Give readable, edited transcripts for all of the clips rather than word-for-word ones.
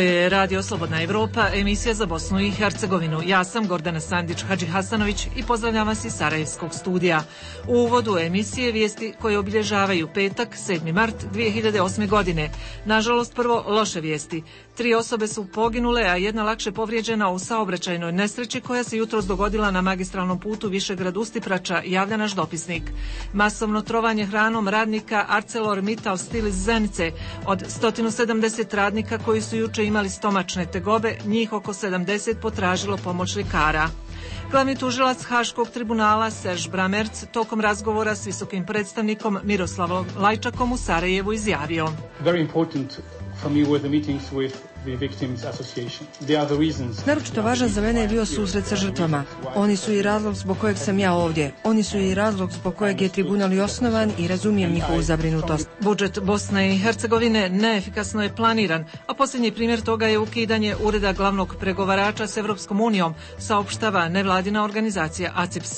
je Radio Slobodna Evropa, emisija za Bosnu i Hercegovinu. Ja sam Gordana Sandić-Hadžihasanović i pozdravljam vas iz Sarajevskog studija. U uvodu emisije vijesti koje obilježavaju petak, 7. mart 2008. godine. Nažalost, prvo loše vijesti. 3 osobe su poginule, a jedna lakše povrijeđena u saobraćajnoj nesreći koja se jutros dogodila na magistralnom putu Višegrad-Ustiprača, javlja naš dopisnik. Masovno trovanje hranom radnika ArcelorMittal Stil iz Zenice. Od 170 radnika koji su juče imali stomačne tegobe, njih oko 70 potražilo pomoć ljekara. Glavni tužilac Haškog tribunala Serž Bramerc tokom razgovora s visokim predstavnikom Miroslavom Lajčakom u Sarajevu izjavio: Naročito važan za mene je bio susret sa žrtvama. Oni su i razlog zbog kojeg sam ja ovdje. Oni su i razlog zbog kojeg je tribunal i osnovan i razumijem njihovu zabrinutost. Budžet Bosne i Hercegovine neefikasno je planiran, a posljednji primjer toga je ukidanje ureda glavnog pregovarača s Evropskom unijom, saopštava nevladina organizacija ACIPS.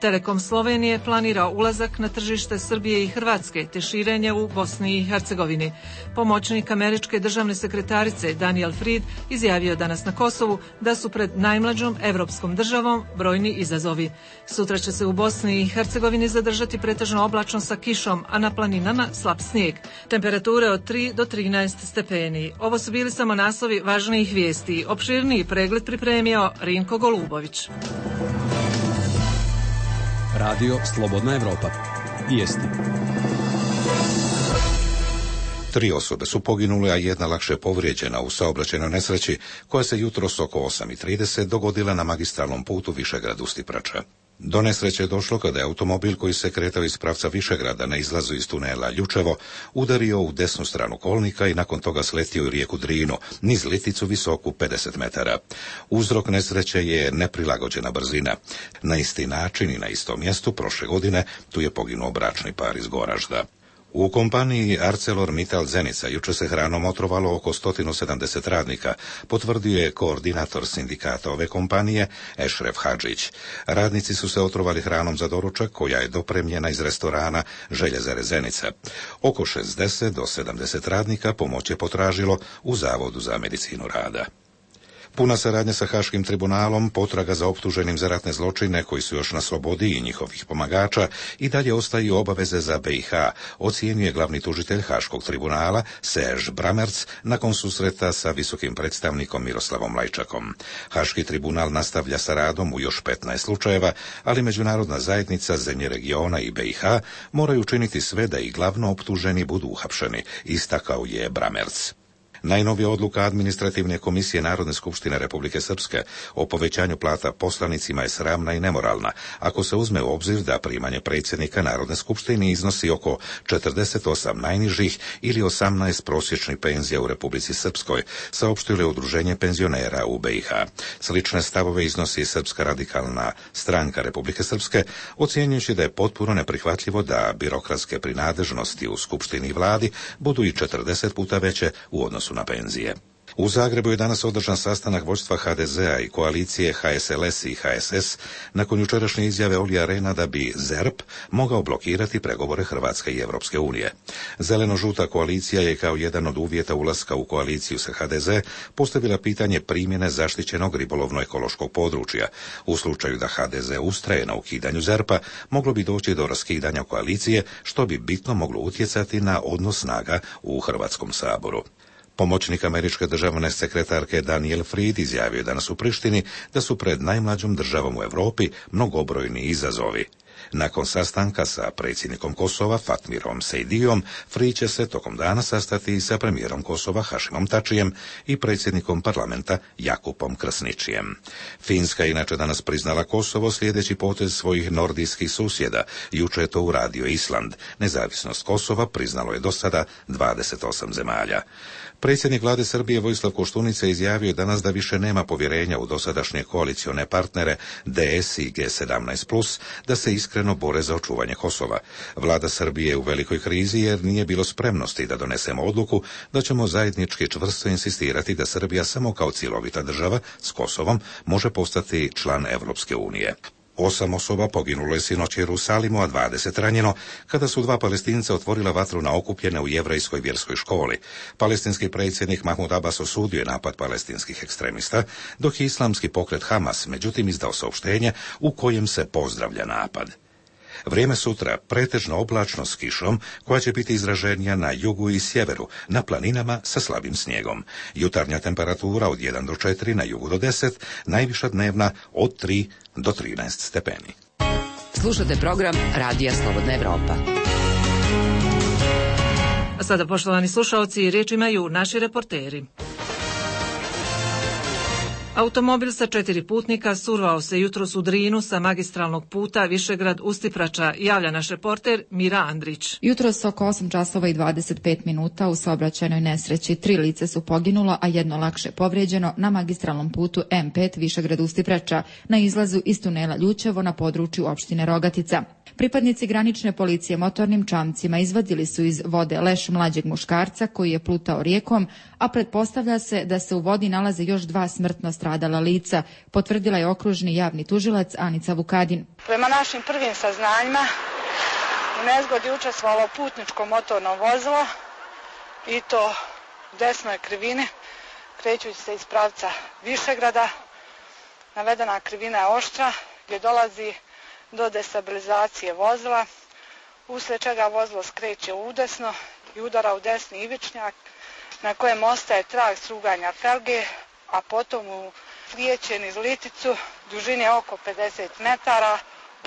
Telekom Slovenije planira ulazak na tržište Srbije i Hrvatske te širenje u Bosni i Hercegovini. Pomoćnik američke državne sekretarice Daniel Fried izjavio danas na Kosovu da su pred najmlađom evropskom državom brojni izazovi. Sutra će se u Bosni i Hercegovini zadržati pretežno oblačno sa kišom, a na planinama slab snijeg. Temperature od 3 do 13 stepeni. Ovo su bili samo naslovi važnijih vijesti. Opširniji pregled pripremio Rinko Golubović. Radio Slobodna Evropa. Vijesti. 3 osobe su poginule, a jedna lakše povrijeđena u saobraćajnoj nesreći koja se jutros oko 8:30 dogodila na magistralnom putu Višegrad-Ustiprača. Do nesreće je došlo kada je automobil koji se kretao iz pravca Višegrada na izlazu iz tunela Ljučevo udario u desnu stranu kolnika i nakon toga sletio u rijeku Drinu, niz liticu visoku 50 metara. Uzrok nesreće je neprilagođena brzina. Na isti način i na istom mjestu prošle godine tu je poginuo bračni par iz Goražda. U kompaniji ArcelorMittal Zenica jučer se hranom otrovalo oko 170 radnika, potvrdio je koordinator sindikata ove kompanije Ešref Hadžić. Radnici su se otrovali hranom za doručak koja je dopremljena iz restorana Željezare Zenica. Oko 60 do 70 radnika pomoć je potražilo u Zavodu za medicinu rada. Puna saradnja sa Haškim tribunalom, potraga za optuženim za ratne zločine koji su još na slobodi i njihovih pomagača i dalje ostaju obaveze za BiH, ocijenjuje glavni tužitelj Haškog tribunala Serž Bramerc nakon susreta sa visokim predstavnikom Miroslavom Lajčakom. Haški tribunal nastavlja sa radom u još 15 slučajeva, ali međunarodna zajednica, zemlje regiona i BiH moraju učiniti sve da i glavno optuženi budu uhapšeni, istakao je Bramerc. Najnovija odluka Administrativne komisije Narodne skupštine Republike Srpske o povećanju plata poslanicima je sramna i nemoralna, ako se uzme u obzir da primanje predsjednika Narodne skupštine iznosi oko 48 najnižih ili 18 prosječnih penzija u Republici Srpskoj, saopštilo je Udruženje penzionera u BiH. Slične stavove iznosi Srpska radikalna stranka Republike Srpske, ocjenjujući da je potpuno neprihvatljivo da birokratske prinadležnosti u skupštini i vladi budu i 40 puta veće u odnosu na penzije. U Zagrebu je danas održan sastanak vođstva HDZ-a i koalicije HSLS i HSS nakon jučerašnje izjave Olija Rehna da bi ZERP mogao blokirati pregovore Hrvatske i Europske unije. Zeleno-žuta koalicija je kao jedan od uvjeta ulaska u koaliciju sa HDZ postavila pitanje primjene zaštićenog ribolovno-ekološkog područja. U slučaju da HDZ ustraje na ukidanju ZERP-a, moglo bi doći do raskidanja koalicije, što bi bitno moglo utjecati na odnos snaga u Hrvatskom saboru. Pomoćnik američke državne sekretarke Daniel Fried izjavio danas u Prištini da su pred najmlađom državom u Europi mnogobrojni izazovi. Nakon sastanka sa predsjednikom Kosova Fatmirom Sejdijom, Fried će se tokom dana sastati i sa premijerom Kosova Hašimom Tačijem i predsjednikom parlamenta Jakupom Krsničijem. Finska je inače danas priznala Kosovo slijedeći potez svojih nordijskih susjeda. Juče je to uradio Island. Nezavisnost Kosova priznalo je do sada 28 zemalja. Predsjednik vlade Srbije Vojislav Koštunica izjavio danas da više nema povjerenja u dosadašnje koalicione partnere DS i G17+, da se iskreno bore za očuvanje Kosova. Vlada Srbije je u velikoj krizi jer nije bilo spremnosti da donesemo odluku da ćemo zajednički čvrsto insistirati da Srbija samo kao cjelovita država s Kosovom može postati član Europske unije. 8 osoba poginulo je sinoć u Jerusalimu, a 20 ranjeno, kada su 2 Palestinca otvorila vatru na okupljene u jevrejskoj vjerskoj školi. Palestinski predsjednik Mahmud Abbas osudio je napad palestinskih ekstremista, dok je islamski pokret Hamas međutim izdao saopštenje u kojem se pozdravlja napad. Vrijeme sutra pretežno oblačno s kišom, koja će biti izraženija na jugu i sjeveru, na planinama sa slabim snijegom. Jutarnja temperatura od 1 do 4, na jugu do 10, najviša dnevna od 3 do 13 stepeni. Slušate program Radija Slobodna Evropa. A sada, poštovani slušaoci, riječ imaju naši reporteri. Automobil sa 4 putnika survao se jutros u Drinu sa magistralnog puta Višegrad-Ustiprača, javlja naš reporter Mira Andrić. Jutros oko 8 časova i 25 minuta u saobraćajnoj nesreći 3 lice su poginula, a 1 lakše povrijeđeno na magistralnom putu M5 Višegrad-Ustiprača na izlazu iz tunela Ljućevo na području opštine Rogatica. Pripadnici granične policije motornim čamcima izvadili su iz vode leš mlađeg muškarca koji je plutao rijekom, a pretpostavlja se da se u vodi nalaze još 2 smrtno stradala lica, potvrdila je okružni javni tužilac Anica Vukadin. Prema našim prvim saznanjima, u nezgodi učestvovalo putničko motorno vozilo i to u desnoj krivini, krećući se iz pravca Višegrada. Navedena krivina je oštra, gdje dolazi do destabilizacije vozila, uslijed čega vozilo skreće udesno i udara u desni ivičnjak, na kojem ostaje trag struganja felge, a potom u slijeće niz liticu dužine oko 50 metara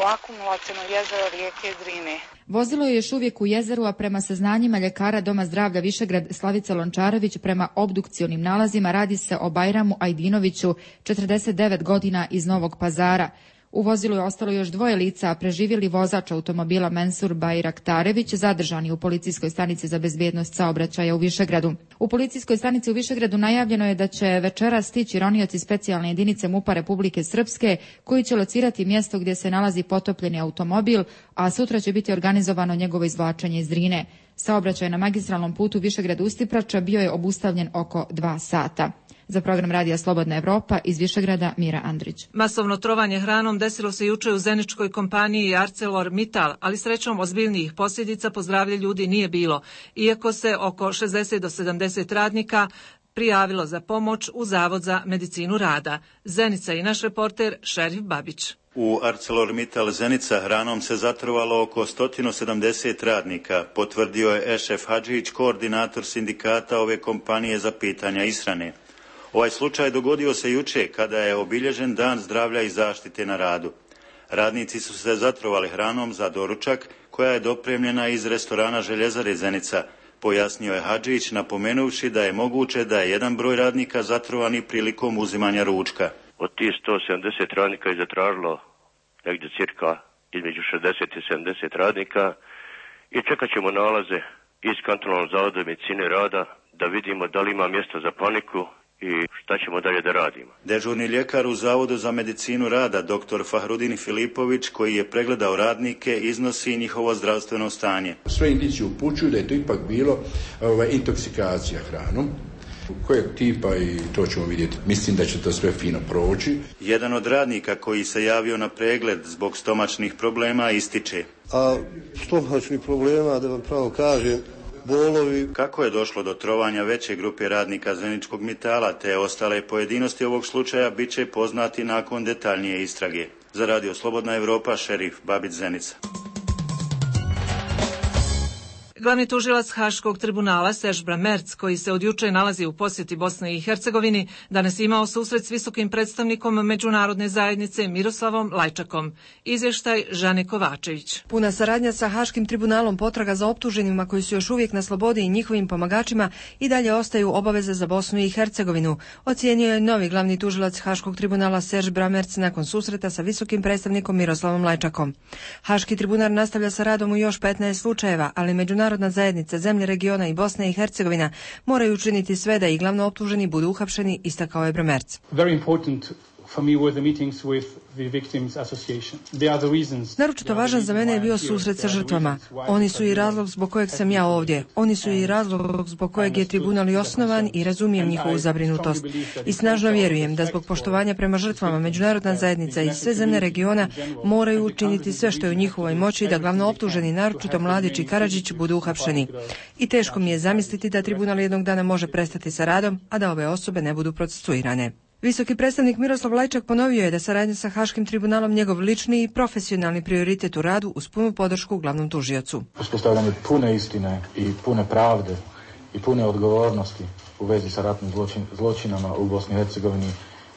u akumulaciono jezero rijeke Drine. Vozilo je još uvijek u jezeru, a prema saznanjima ljekara Doma zdravlja Višegrad Slavica Lončarević, prema obdukcionim nalazima radi se o Bajramu Ajdinoviću, 49 godina, iz Novog Pazara. U vozilu je ostalo još 2 lica, a preživjeli vozač automobila Mensur Bajraktarević zadržani u policijskoj stanici za bezbjednost saobraćaja u Višegradu. U policijskoj stanici u Višegradu najavljeno je da će večeras stići ronioci specijalne jedinice MUP-a Republike Srpske, koji će locirati mjesto gdje se nalazi potopljeni automobil, a sutra će biti organizovano njegovo izvlačenje iz Drine. Saobraćaj na magistralnom putu Višegrad-Ustiprača bio je obustavljen oko 2 sata. Za program Radija Slobodna Evropa iz Višegrada Mira Andrić. Masovno trovanje hranom desilo se juče u zeničkoj kompaniji ArcelorMittal, ali srećom ozbiljnijih posljedica po zdravlje ljudi nije bilo, iako se oko 60 do 70 radnika prijavilo za pomoć u Zavod za medicinu rada. Zenica i naš reporter Šerif Babić. U ArcelorMittal Zenica hranom se zatrovalo oko 170 radnika, potvrdio je Ešef Hadžić, koordinator sindikata ove kompanije za pitanja ishrane. Ovaj slučaj dogodio se juče kada je obilježen Dan zdravlja i zaštite na radu. Radnici su se zatrovali hranom za doručak koja je dopremljena iz restorana Željezare Zenica, pojasnio je Hadžić, napomenuvši da je moguće da je jedan broj radnika zatrovani prilikom uzimanja ručka. Od tih 170 radnika je zatražilo negdje cirka između 60 i 70 radnika i čekat ćemo nalaze iz kantonalnog zavoda medicine rada da vidimo da li ima mjesta za paniku i šta ćemo dalje da radimo. Dežurni ljekar u Zavodu za medicinu rada, dr. Fahrudin Filipović, koji je pregledao radnike, iznosi njihovo zdravstveno stanje. Sve indicije upućuju da je to ipak bilo intoksikacija hranom. Kojeg tipa, i to ćemo vidjeti. Mislim da će to sve fino proći. Jedan od radnika koji se javio na pregled zbog stomačnih problema ističe. A stomačnih problema, da vam pravo kažem, bolovi. Kako je došlo do trovanja veće grupe radnika Zeničkog Mitala te ostale pojedinosti ovog slučaja bit će poznati nakon detaljnije istrage. Za Radio Slobodna Evropa, Šerif Babić, Zenica. Glavni tužilac Haškog tribunala Serge Bramertz, koji se od juče nalazi u posjeti Bosne i Hercegovini, danas imao susret s visokim predstavnikom međunarodne zajednice Miroslavom Lajčakom. Izvještaj Žane Kovačević. Puna saradnja sa Haškim tribunalom, potraga za optuženima koji su još uvijek na slobodi i njihovim pomagačima i dalje ostaju obaveze za Bosnu i Hercegovinu, ocijenio je novi glavni tužilac Haškog tribunala Serge Bramertz nakon susreta sa visokim predstavnikom Miroslavom Lajčakom. Haški tribunal nastavlja sa radom u još 15 slučajeva, ali međunarodna zajednica, zemlje regiona i Bosna i Hercegovina moraju učiniti sve da i glavno optuženi budu uhapšeni, istakao je Bramertz. Very important Naročito važan za mene je bio susret sa žrtvama. Oni su i razlog zbog kojeg sam ja ovdje. Oni su i razlog zbog kojeg je tribunal i osnovan i razumijem njihovu zabrinutost. I snažno vjerujem da zbog poštovanja prema žrtvama međunarodna zajednica i sve zemlje regiona moraju učiniti sve što je u njihovoj moći da glavno optuženi, naročito Mladić i Karadžić, budu uhapšeni. I teško mi je zamisliti da tribunal jednog dana može prestati sa radom, a da ove osobe ne budu procesuirane. Visoki predstavnik Miroslav Lajčak ponovio je da saradnja sa Haškim tribunalom njegov lični i profesionalni prioritet u radu uz punu podršku glavnom tužiocu. Uspostavljanje pune istine i pune pravde i pune odgovornosti u vezi sa ratnim zločinama u Bosni i Hercegovini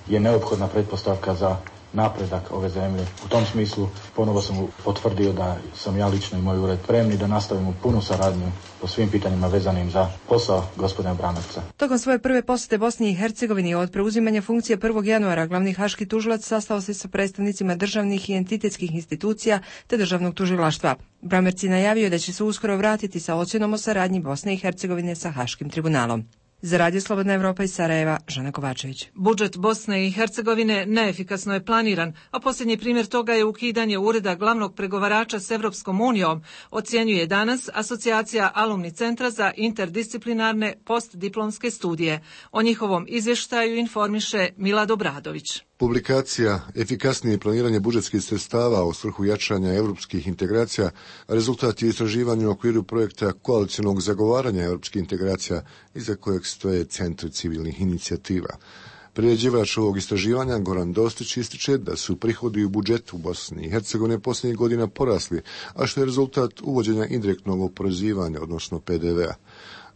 je neophodna pretpostavka za napredak ove zemlje. U tom smislu ponovo sam potvrdio da sam ja lično i moj ured spremni da nastavimo punu saradnju po svim pitanjima vezanim za posao gospodina Bramerca. Tokom svoje prve posjete Bosni i Hercegovini od preuzimanja funkcije 1. januara glavni haški tužilac sastao se sa predstavnicima državnih i entitetskih institucija te državnog tužilaštva. Bramerc je najavio da će se uskoro vratiti sa ocjenom o saradnji Bosne i Hercegovine sa Haškim tribunalom. Za Radio Slobodna Evropa iz Sarajeva, Žana Kovačević. Budžet Bosne i Hercegovine neefikasno je planiran, a posljednji primjer toga je ukidanje ureda glavnog pregovarača s Evropskom unijom, ocjenjuje danas Asocijacija Alumni centra za interdisciplinarne postdiplomske studije. O njihovom izvještaju informiše Milad Obradović. Publikacija Efikasnije planiranje budžetskih sredstava u svrhu jačanja europskih integracija rezultat je istraživanja u okviru projekta koalicionog zagovaranja europskih integracija iza kojeg stoje centri civilnih inicijativa. Priređivač ovog istraživanja Goran Dostić ističe da su prihodi u budžetu Bosne i Hercegovine posljednjih godina porasli, a što je rezultat uvođenja indirektnog oporezivanja, odnosno PDV-a.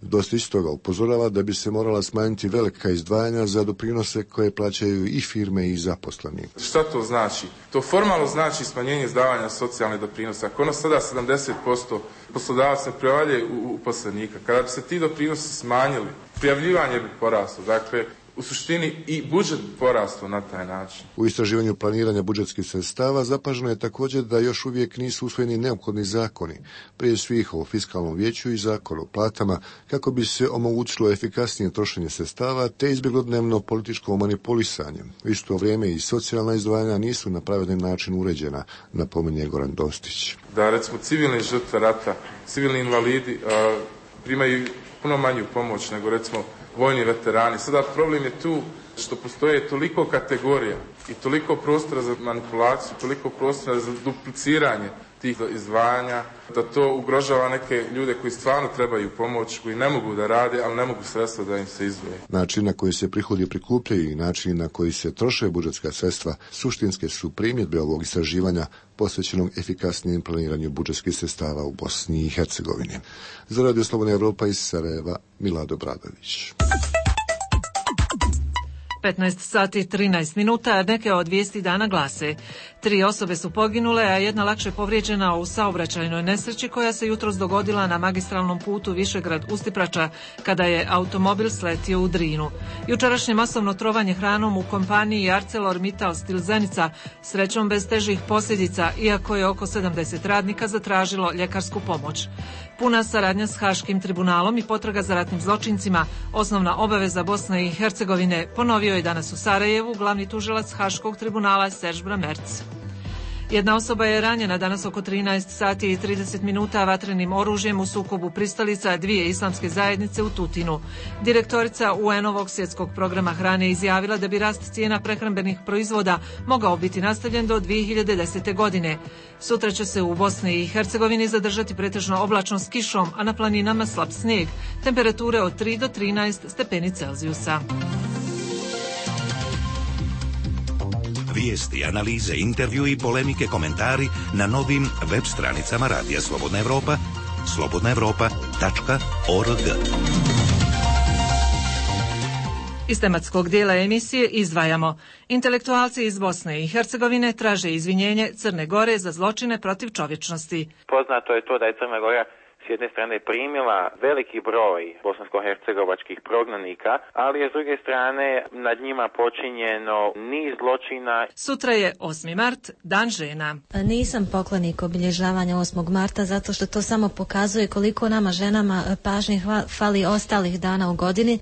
Dostić toga upozorava da bi se morala smanjiti velika izdvajanja za doprinose koje plaćaju i firme i zaposleni. Šta to znači? To formalno znači smanjenje izdavanja socijalnih doprinosa. Ako ono sada 70% poslodavac ne prevaljuje u uposlenika, kada bi se ti doprinosi smanjili, prijavljivanje bi poraslo. Dakle, u suštini i budžet porastao na taj način. U istraživanju planiranja budžetskih sredstava zapaženo je također da još uvijek nisu usvojeni neophodni zakoni, prije svih o fiskalnom vijeću i zakon o platama, kako bi se omogućilo efikasnije trošenje sredstava te izbjeglo dnevno političko manipulisanje. U isto vrijeme i socijalna izdvajanja nisu na pravedan način uređena, napominje Goran Dostić. Da recimo civilne žrtve rata, civilni invalidi primaju puno manju pomoć nego recimo vojni veterani. Sada problem je tu što postoje toliko kategorija i toliko prostora za manipulaciju, toliko prostora za dupliciranje tih izdvajanja, da to ugrožava neke ljude koji stvarno trebaju pomoć, koji ne mogu da rade, ali ne mogu sredstva da im se izdvoje. Način na koji se prihodi prikupljaju i način na koji se troše budžetska sredstva suštinske su primjedbe ovog istraživanja posvećenog efikasnijem planiranju budžetskih sredstava u Bosni i Hercegovini. Za Radio Slobodna Evropa iz Sarajeva, Milad Obradović. 15 sati 13 minuta, neke od vijesti dana glase. 3 osobe su poginule, a jedna lakše povrijeđena u saobraćajnoj nesreći koja se jutros dogodila na magistralnom putu Višegrad-Ustiprača kada je automobil sletio u Drinu. Jučerašnje masovno trovanje hranom u kompaniji ArcelorMittal Stil Zenica srećom bez težih posljedica, iako je oko 70 radnika zatražilo ljekarsku pomoć. Puna saradnja s Haškim tribunalom i potraga za ratnim zločincima, osnovna obaveza Bosne i Hercegovine, ponovio je danas u Sarajevu glavni tužilac Haškog tribunala Serž Bramerc. Jedna osoba je ranjena danas oko 13 sati i 30 minuta vatrenim oružjem u sukobu pristalica dvije islamske zajednice u Tutinu. Direktorica UN-ovog svjetskog programa hrane izjavila da bi rast cijena prehrambenih proizvoda mogao biti nastavljen do 2010. godine. Sutra će se u Bosni i Hercegovini zadržati pretežno oblačno s kišom, a na planinama slab snijeg. Temperature od 3 do 13 stepeni Celzijusa. Vijesti, analize, intervju i polemike, komentari na novim web stranicama Radija Slobodna Evropa, slobodnaevropa.org. Iz tematskog dijela emisije izdvajamo. Intelektualci iz Bosne i Hercegovine traže izvinjenje Crne Gore za zločine protiv čovječnosti. Poznato je to da je Crna Gora s jedne strane primila veliki broj bosansko-hercegovačkih prognanika, ali je s druge strane nad njima počinjeno niz zločina. Sutra je 8. mart, Dan žena. Nisam poklonik obilježavanja 8. marta zato što to samo pokazuje koliko nama ženama pažnje fali ostalih dana u godini.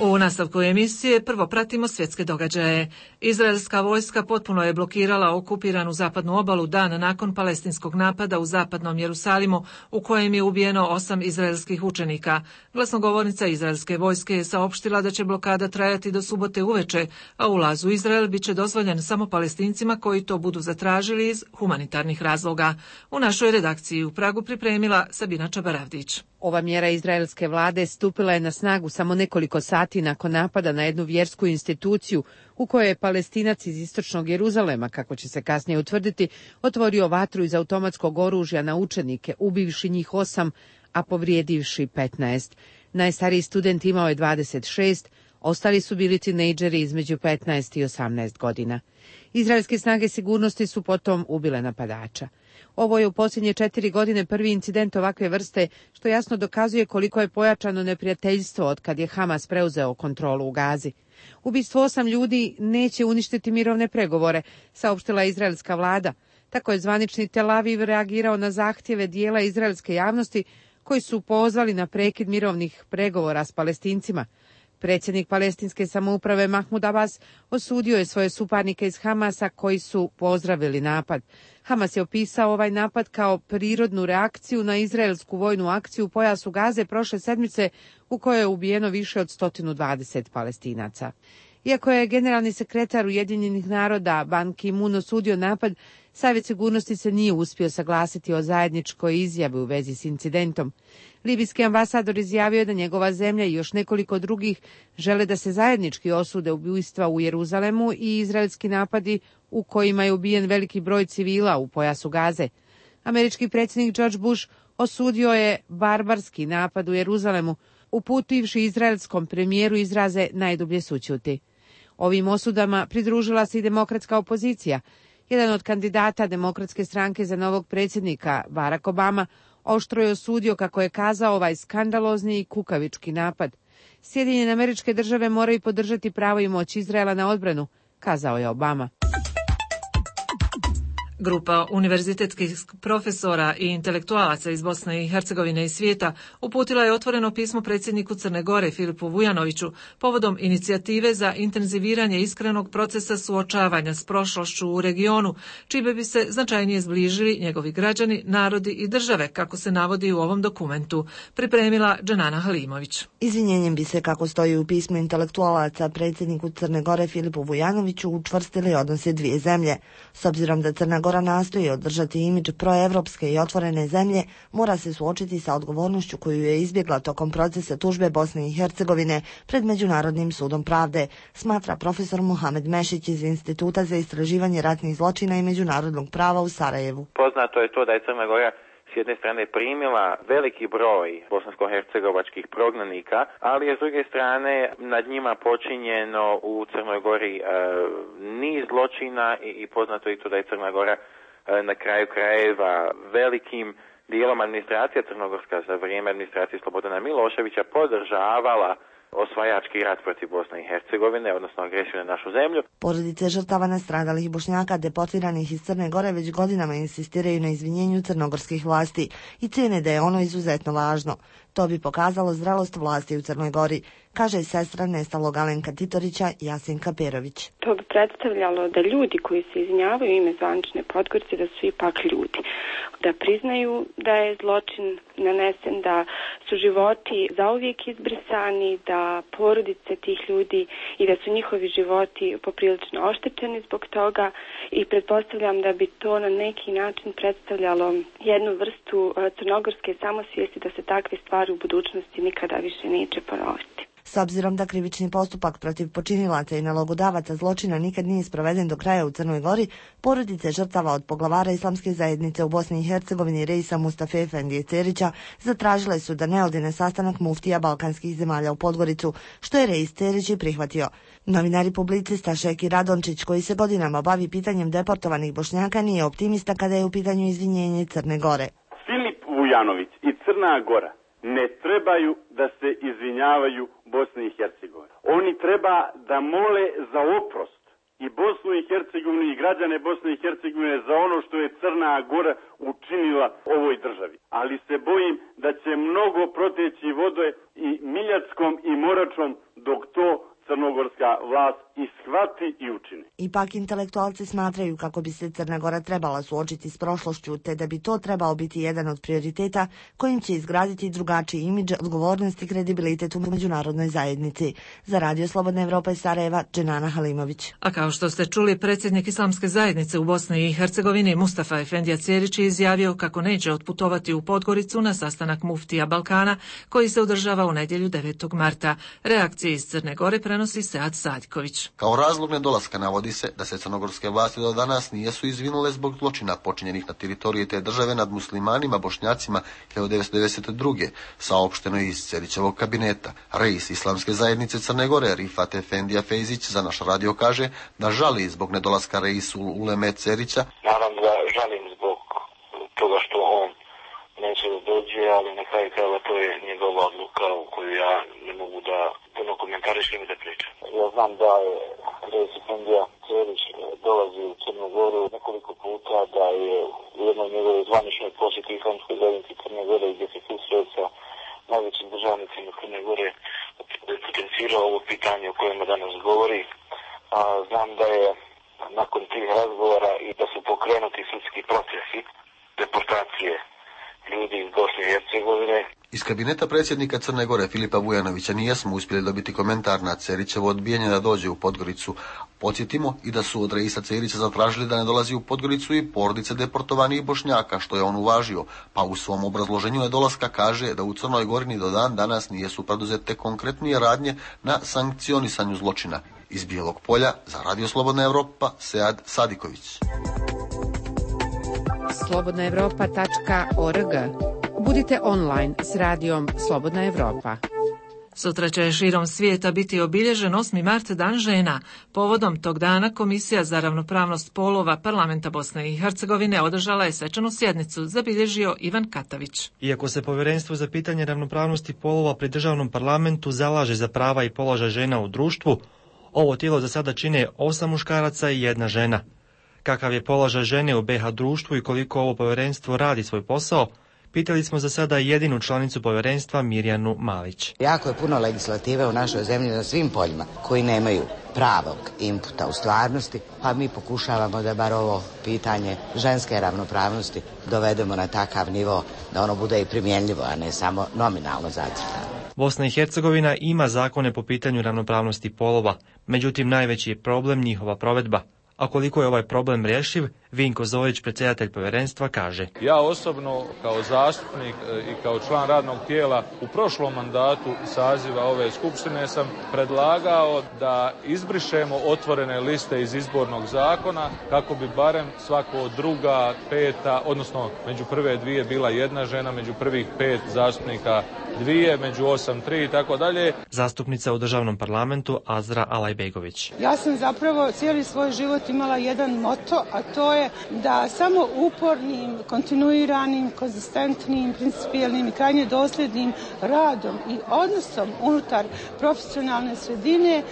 U nastavku emisije prvo pratimo svjetske događaje. Izraelska vojska potpuno je blokirala okupiranu zapadnu obalu dan nakon palestinskog napada u zapadnom Jerusalimu u kojem je ubijeno 8 izraelskih učenika. Glasnogovornica izraelske vojske je saopštila da će blokada trajati do subote uveče, a ulaz u Izrael bit će dozvoljen samo Palestincima koji to budu zatražili iz humanitarnih razloga. U našoj redakciji u Pragu pripremila Sabina Čabaravdić. Ova mjera izraelske vlade stupila je na snagu samo nekoliko sati nakon napada na jednu vjersku instituciju u kojoj je Palestinac iz istočnog Jeruzalema, kako će se kasnije utvrditi, otvorio vatru iz automatskog oružja na učenike, ubivši njih 8, a povrijedivši 15. Najstariji student imao je 26, ostali su bili tinejdžeri između 15 i 18 godina. Izraelske snage sigurnosti su potom ubile napadača. Ovo je u posljednje 4 godine prvi incident ovakve vrste, što jasno dokazuje koliko je pojačano neprijateljstvo od kad je Hamas preuzeo kontrolu u Gazi. Ubistvo 8 ljudi neće uništiti mirovne pregovore, saopštila izraelska vlada. Tako je zvanični Tel Aviv reagirao na zahtjeve dijela izraelske javnosti koji su pozvali na prekid mirovnih pregovora s Palestincima. Predsjednik palestinske samouprave Mahmud Abbas osudio je svoje suparnike iz Hamasa koji su pozdravili napad. Hamas je opisao ovaj napad kao prirodnu reakciju na izraelsku vojnu akciju u pojasu Gaze prošle sedmice u kojoj je ubijeno više od 120 Palestinaca. Iako je generalni sekretar Ujedinjenih naroda Ban Ki-moon osudio napad, Savjet sigurnosti se nije uspio saglasiti o zajedničkoj izjavi u vezi s incidentom. Libijski ambasador izjavio je da njegova zemlja i još nekoliko drugih žele da se zajednički osude ubojstva u Jeruzalemu i izraelski napadi u kojima je ubijen veliki broj civila u pojasu Gaze. Američki predsjednik George Bush osudio je barbarski napad u Jeruzalemu, uputivši izraelskom premijeru izraze najdublje sućuti. Ovim osudama pridružila se i demokratska opozicija. Jedan od kandidata Demokratske stranke za novog predsjednika, Barack Obama, oštro je osudio, kako je kazao, ovaj skandalozni i kukavički napad. Sjedinjene Američke Države moraju podržati pravo i moć Izraela na odbranu, kazao je Obama. Grupa univerzitetskih profesora i intelektualaca iz Bosne i Hercegovine i svijeta uputila je otvoreno pismo predsjedniku Crne Gore Filipu Vujanoviću povodom inicijative za intenziviranje iskrenog procesa suočavanja s prošlošću u regionu, čime bi se značajnije zbližili njegovi građani, narodi i države, kako se navodi u ovom dokumentu, pripremila Dženana Halimović. Izvinjenjem bi se, kako stoji u pismu intelektualaca predsjedniku Crne Gore Filipu Vujanoviću, učvrstili odnose dvije zemlje. S obzirom da Crna Gora nastoji održati imidž proevropske i otvorene zemlje, mora se suočiti sa odgovornošću koju je izbjegla tokom procesa tužbe Bosne i Hercegovine pred Međunarodnim sudom pravde, smatra profesor Mohamed Mešić iz Instituta za istraživanje ratnih zločina i međunarodnog prava u Sarajevu. Poznato je to da je Crna Gora s jedne strane primila veliki broj bosansko-hercegovačkih prognanika, ali je s druge strane nad njima počinjeno u Crnoj Gori niz zločina i poznato je to da je Crna Gora na kraju krajeva velikim dijelom administracija crnogorska za vrijeme administracije Slobodana Miloševića podržavala osvajački rat protiv Bosne i Hercegovine, odnosno agresiju na našu zemlju. Porodice žrtava nastradalih Bošnjaka deportiranih iz Crne Gore već godinama insistiraju na izvinjenju crnogorskih vlasti i cijene da je ono izuzetno važno. To bi pokazalo zrelost vlasti u Crnoj Gori, kaže sestra nestalog Alenka Titorića Jasinka Perović. To bi predstavljalo da ljudi koji se izvinjavaju ime zvanične Podgorice da su ipak ljudi. Da priznaju da je zločin nanesen, da su životi zauvijek izbrisani, da porodice tih ljudi i da su njihovi životi poprilično oštećeni zbog toga i pretpostavljam da bi to na neki način predstavljalo jednu vrstu crnogorske samosvijesti da se takve stvari u budućnosti nikada više neće ponoviti. S obzirom da krivični postupak protiv počinilaca i nalogodavaca zločina nikad nije sproveden do kraja u Crnoj Gori, porodice žrtava od poglavara islamske zajednice u Bosni i Hercegovini Reisa Mustafe Efendije Cerića zatražile su da ne ode na sastanak muftija balkanskih zemalja u Podgoricu, što je Reis Cerić i prihvatio. Novinar i publicista Šeki Radončić, koji se godinama bavi pitanjem deportovanih Bošnjaka, nije optimista kada je u pitanju izvinjenje Crne Gore. Filip Vujanović i Crna Gora ne trebaju da se izvinjavaju Bosni i Hercegovini. Oni treba da mole za oprost i Bosnu i Hercegovinu i građane Bosne i Hercegovine za ono što je Crna Gora učinila ovoj državi. Ali se bojim da će mnogo proteći vode i Miljackom i Moračom dok to crnogorska vlast i shvati i učini. Ipak intelektualci smatraju kako bi se Crna Gora trebala suočiti s prošlošću, te da bi to trebao biti jedan od prioriteta kojim će izgraditi drugačiji imidž, odgovornost i kredibilitet u međunarodnoj zajednici. Za Radio Slobodna Evropa iz Sarajeva, Dženana Halimović. A kao što ste čuli, predsjednik Islamske zajednice u Bosni i Hercegovini Mustafa Efendija Cerić je izjavio kako neće otputovati u Podgoricu na sastanak muftija Balkana koji se održava u nedjelju 9. marta. Reakcije iz Crne Gore prenosi Sead Sadiković. Kao razlog nedolaska navodi se da se crnogorske vlasti do danas nisu izvinule zbog zločina počinjenih na teritoriji te države nad muslimanima, bošnjacima 1992. Saopšteno je iz Cerićevog kabineta. Reis Islamske zajednice Crne Gore Rifat Efendija Fejzić za naš radio kaže da žali zbog nedolaska reisul Uleme Cerića. Naravno da žalim zbog toga što on neće da dođe, ali na kraju krajeva to je njegova odluka u koju ja ne mogu da puno komentarišem i da pričam. Ja znam da je reis Efendija Cerić dolazi u Crnu Goru nekoliko puta, da je u jednoj njegovoj zvaničnoj posjeti Islamskoj zajednici Crne Gore gdje se susreo sa najvećim državnicima Crne Gore potencirao ovo pitanje o kojem danas govori. Znam da je nakon tih razgovora i da su pokrenuti sudski procesi deportacije ljudi iz Bosne i Hercegovine. Iz kabineta predsjednika Crne Gore Filipa Vujanovića nijesmo uspjeli dobiti komentar na Cerićevo odbijanje da dođe u Podgoricu. Podsjetimo i da su od reisa Cerića zatražili da ne dolazi u Podgoricu i porodice deportovanih Bošnjaka, što je on uvažio, pa u svom obrazloženju nedolaska kaže da u Crnoj Gori ni do dan danas nijesu preduzete konkretnije radnje na sankcionisanju zločina. Iz Bijelog Polja za Radio Slobodna Evropa, Sead Sadiković. slobodnaevropa.org. Budite online s radijom Slobodna Evropa. Sutra će širom svijeta biti obilježen 8. mart Dan žena. Povodom tog dana Komisija za ravnopravnost polova Parlamenta Bosne i Hercegovine održala je svečanu sjednicu, zabilježio Ivan Katavić. Iako se Povjerenstvo za pitanje ravnopravnosti polova pri državnom parlamentu zalaže za prava i položaj žena u društvu, ovo tijelo za sada čine 8 muškaraca i 1 žena. Kakav je položaj žene u BiH društvu i koliko ovo povjerenstvo radi svoj posao, pitali smo za sada jedinu članicu povjerenstva Mirjanu Malić. Jako je puno legislative u našoj zemlji na svim poljima koji nemaju pravog inputa u stvarnosti, pa mi pokušavamo da bar ovo pitanje ženske ravnopravnosti dovedemo na takav nivo da ono bude i primjenljivo, a ne samo nominalno zacrtano. Bosna i Hercegovina ima zakone po pitanju ravnopravnosti polova, međutim najveći je problem njihova provedba. A koliko je ovaj problem rješiv, Vinko Zorić, predsjedatelj povjerenstva, kaže. Ja osobno kao zastupnik i kao član radnog tijela u prošlom mandatu saziva ove skupštine sam predlagao da izbrišemo otvorene liste iz izbornog zakona kako bi barem svako druga, peta, odnosno među prve 2 bila 1 žena, među prvih 5 zastupnika 2, među 8 3 i tako dalje. Zastupnica u državnom parlamentu Azra Alajbegović. Ja sam zapravo cijeli svoj život imala jedan moto, a to je da samo upornim, kontinuiranim, konzistentnim, principijelnim i krajnje dosljednim radom i odnosom unutar profesionalne sredine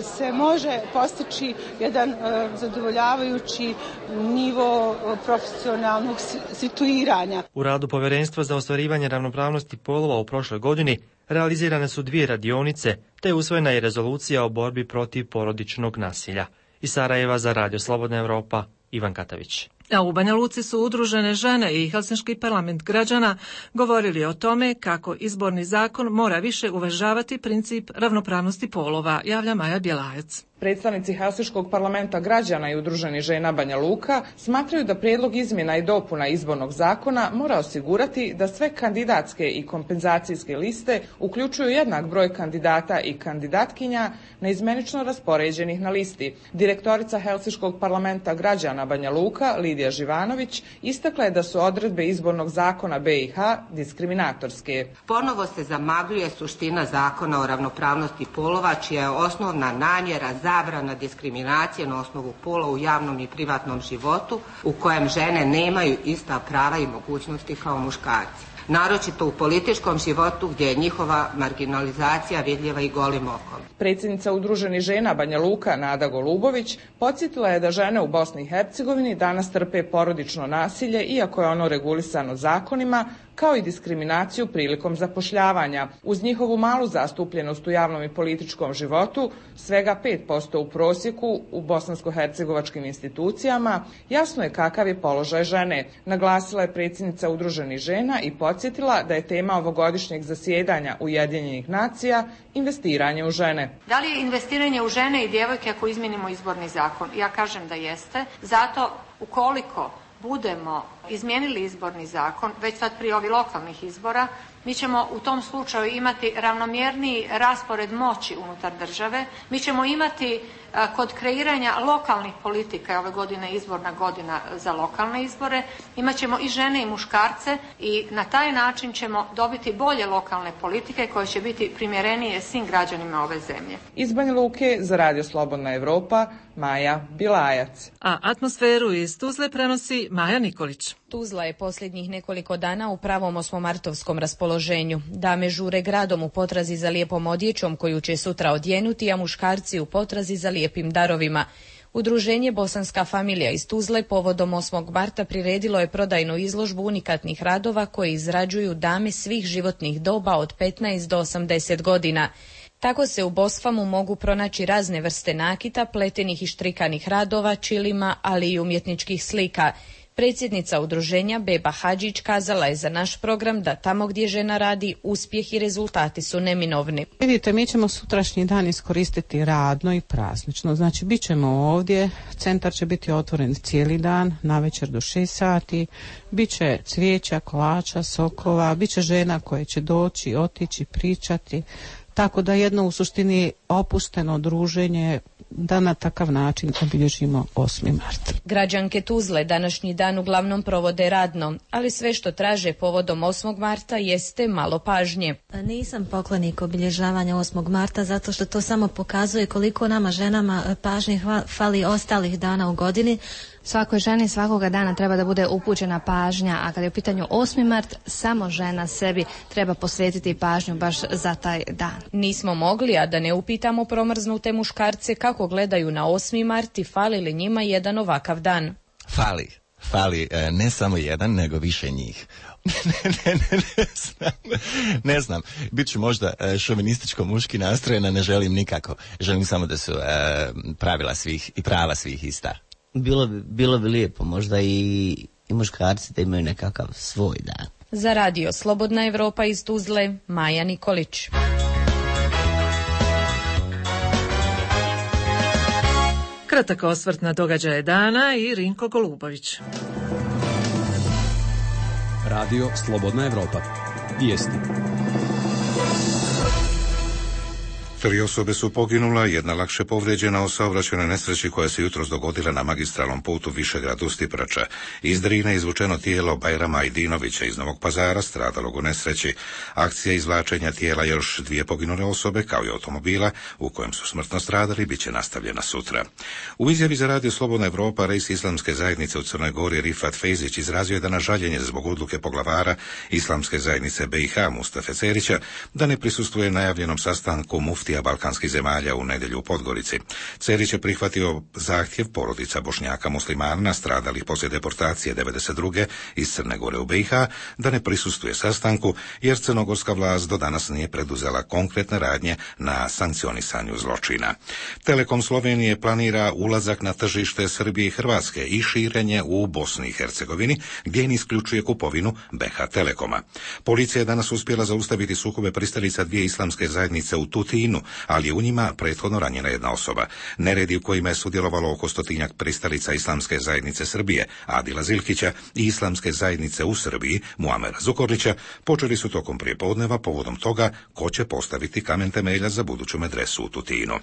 se može postići jedan zadovoljavajući nivo profesionalnog situiranja. U radu Povjerenstva za ostvarivanje ravnopravnosti polova u prošloj godini realizirane su 2 radionice, te usvojena je rezolucija o borbi protiv porodičnog nasilja. Iz Sarajeva za Radio Slobodna Evropa, Ivan Katavić. A u Banja Luci su udružene žene i Helsinški parlament građana govorili o tome kako izborni zakon mora više uvažavati princip ravnopravnosti polova, javlja Maja Bjelajac. Predstavnici Helsinškog parlamenta građana i udruženi žena Banja Luka smatraju da prijedlog izmjena i dopuna izbornog zakona mora osigurati da sve kandidatske i kompenzacijske liste uključuju jednak broj kandidata i kandidatkinja neizmenično raspoređenih na listi. Direktorica Helsinškog parlamenta građana Banja Luka, Lidija Živanović, istakla je da su odredbe izbornog zakona BiH diskriminatorske. Ponovo se zamagljuje suština zakona o ravnopravnosti polova, čija je osnovna namjera zabrana diskriminacije na osnovu pola u javnom i privatnom životu, u kojem žene nemaju ista prava i mogućnosti kao muškarci. Naročito u političkom životu gdje je njihova marginalizacija vidljiva i golim okom. Predsjednica udruženih žena Banja Luka, Nada Golubović, podsjetila je da žene u Bosni i Hercegovini danas trpe porodično nasilje, iako je ono regulisano zakonima, kao i diskriminaciju prilikom zapošljavanja. Uz njihovu malu zastupljenost u javnom i političkom životu, svega 5% u prosjeku u bosansko-hercegovačkim institucijama, jasno je kakav je položaj žene. Naglasila je predsjednica Udruženih žena i podsjetila da je tema ovogodišnjeg zasjedanja Ujedinjenih nacija investiranje u žene. Da li je investiranje u žene i djevojke ako izmijenimo izborni zakon? Ja kažem da jeste. Zato ukoliko budemo izmijenili izborni zakon, već sad prije ovih lokalnih izbora, mi ćemo u tom slučaju imati ravnomjerniji raspored moći unutar države. Mi ćemo imati kod kreiranja lokalnih politika, ove godine izborna godina za lokalne izbore, imat ćemo i žene i muškarce i na taj način ćemo dobiti bolje lokalne politike koje će biti primjerenije svim građanima ove zemlje. Iz Banja Luke za Radio Slobodna Evropa, Maja Bilajac. A atmosferu iz Tuzle prenosi Maja Nikolić. Tuzla je posljednjih nekoliko dana u pravom osmomartovskom raspoloženju. Dame žure gradom u potrazi za lijepom odjećom koju će sutra odjenuti, a muškarci u potrazi za lijepim darovima. Udruženje Bosanska familija iz Tuzle povodom 8. marta priredilo je prodajnu izložbu unikatnih radova koje izrađuju dame svih životnih doba od 15 do 80 godina. Tako se u Bosfamu mogu pronaći razne vrste nakita, pletenih i štrikanih radova, čilima, ali i umjetničkih slika. Predsjednica udruženja Beba Hadžić kazala je za naš program da tamo gdje žena radi, uspjeh i rezultati su neminovni. Vidite, mi ćemo sutrašnji dan iskoristiti radno i praznično. Znači, bit ćemo ovdje, centar će biti otvoren cijeli dan, navečer do 6 sati, bit će cvijeća, kolača, sokova, bit će žena koje će doći, otići, pričati. Tako da jedno u suštini opušteno druženje da na takav način obilježimo 8. mart. Građanke Tuzle današnji dan uglavnom provode radno, ali sve što traže povodom 8. marta jeste malo pažnje. Nisam poklonik obilježavanja 8. marta zato što to samo pokazuje koliko nama ženama pažnje fali ostalih dana u godini. Svakoj ženi svakoga dana treba da bude upućena pažnja, a kada je u pitanju 8. mart, samo žena sebi treba posvetiti pažnju baš za taj dan. Nismo mogli, a da ne upitamo promrznute muškarce kako gledaju na 8. mart i fali li njima jedan ovakav dan. Fali ne samo jedan, nego više njih. Ne znam. Biću možda šovinističko muški nastrojena, ne želim nikako. Želim samo da su pravila svih i prava svih ista. Bilo bi lijepo, možda i muškarci da imaju nekakav svoj dan. Za Radio Slobodna Evropa iz Tuzle, Maja Nikolić. Kratak osvrt na događaje dana i Rinko Golubović. Radio Slobodna Evropa. Vijesti. 3 osobe su poginula, jedna lakše povrijeđena u saobraćajnoj nesreći koja se jutros dogodila na magistralnom putu Višegrad-Ustiprača. Iz Drine izvučeno tijelo Bajrama Ajdinovića iz Novog Pazara, stradalog u nesreći. Akcija izvlačenja tijela još 2 poginule osobe, kao i automobila u kojem su smrtno stradali, bit će nastavljena sutra. U izjavi za Radio Slobodna Evropa rejs Islamske zajednice u Crnoj Gori Rifat Fejzić izrazio je da na žaljenje zbog odluke poglavara Islamske zajednice BiH Mustafe Cerića da ne prisustvuje najavljenom sastanku muftija balkanskih zemalja u nedjelju u Podgorici. Cerić je prihvatio zahtjev porodica Bošnjaka muslimana nastradalih poslije deportacije 1992. iz Crne Gore u BiH da ne prisustvuje sastanku jer crnogorska vlast do danas nije preduzela konkretne radnje na sankcionisanju zločina. Telekom Slovenije planira ulazak na tržište Srbije i Hrvatske i širenje u Bosni i Hercegovini gdje ne isključuje kupovinu BH Telekoma. Policija je danas uspjela zaustaviti sukobe pristalica 2 islamske zajednice u Tutinu, ali je u njima prethodno ranjena jedna osoba. Neredi u kojima je sudjelovalo oko 100-tinjak pristalica Islamske zajednice Srbije, Adila Zilkića, i Islamske zajednice u Srbiji, Muamera Zukorlića, počeli su tokom prijepodneva povodom toga ko će postaviti kamen temelja za buduću medresu u Tutinu.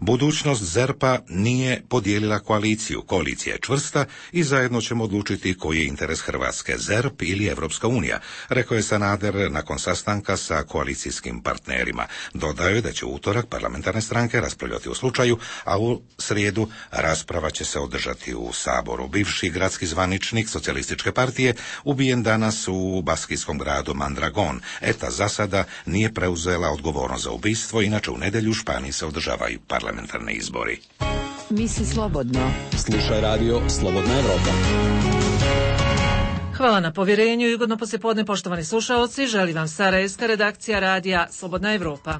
Budućnost ZERP-a nije podijelila koaliciju. Koalicija je čvrsta i zajedno ćemo odlučiti koji je interes Hrvatske, ZERP ili Evropska unija, rekao je Sanader nakon sastanka sa koalicijskim partnerima. Dodao je da će u utorak parlamentarne stranke raspravljati o slučaju, a u srijedu rasprava će se održati u Saboru. Bivši gradski zvaničnik socijalističke partije ubijen danas u baskijskom gradu Mandragon. ETA za sada nije preuzela odgovornost za ubistvo, inače u nedjelju u Španiji se održavaju parlamentarni izbori. Misli slobodno. Slušaj Radio Slobodna Evropa. Hvala na povjerenju i ugodno poslijepodne, poštovani slušaoci. Želi vam sarajevska redakcija radija Slobodna Evropa.